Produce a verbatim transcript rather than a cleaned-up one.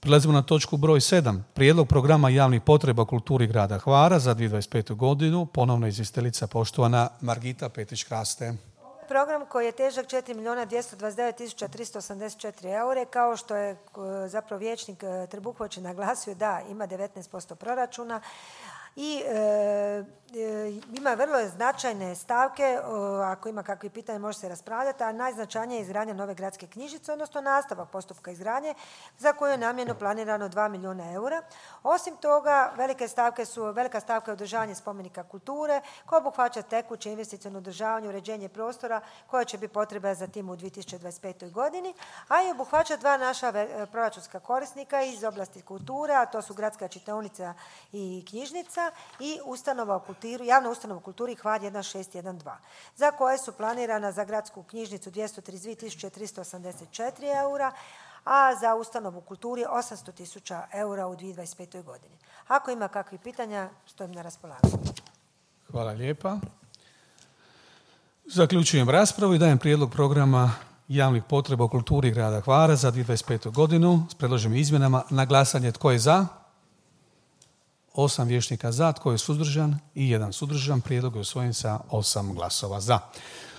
Prelazimo na točku broj sedam. Prijedlog programa javnih potreba u kulturi grada Hvara za dvije tisuće dvadeset petu godinu. Ponovno izvjestiteljica poštovana Margita Petić-Kraste. Program koji je težak četiri milijuna dvjesto dvadeset devet tisuća tristo osamdeset četiri eure, kao što je zapravo vijećnik Trbuković naglasio, da ima devetnaest posto proračuna i e, e, ima vrlo značajne stavke, o, ako ima kakvi pitanja može se raspravljati, a najznačajnija je izgradnja nove gradske knjižnice, odnosno nastavak postupka izgradnje za koju je namjerno planirano dva milijuna eura. Osim toga, velike stavke su, velika stavka je održavanje spomenika kulture koja obuhvaća tekuće investiciono održavanje, uređenje prostora koja će biti potreba za tim u dvije tisuće dvadeset petoj godini, a i obuhvaća dva naša proračunska korisnika iz oblasti kulture, a to su Gradska čitaonica i knjižnica i ustanova u kulturi, javna ustanova u kulturi Hvar jedan šest jedan dva, za koje su planirana za gradsku knjižnicu dvjesto trideset dvije tisuće tristo osamdeset četiri eura, a za ustanovu u kulturi osamsto tisuća eura u dvije tisuće dvadeset petoj godini. Ako ima kakvih pitanja, stojim na raspolaganju. Hvala lijepa. Zaključujem raspravu i dajem prijedlog programa javnih potreba u kulturi grada Hvara za dvije tisuće dvadeset petu godinu s predloženim izmjenama na glasanje. Tko je za? Osam vijećnika za, tko je suzdržan i jedan suzdržan. Prijedlog je usvojen sa osam glasova za.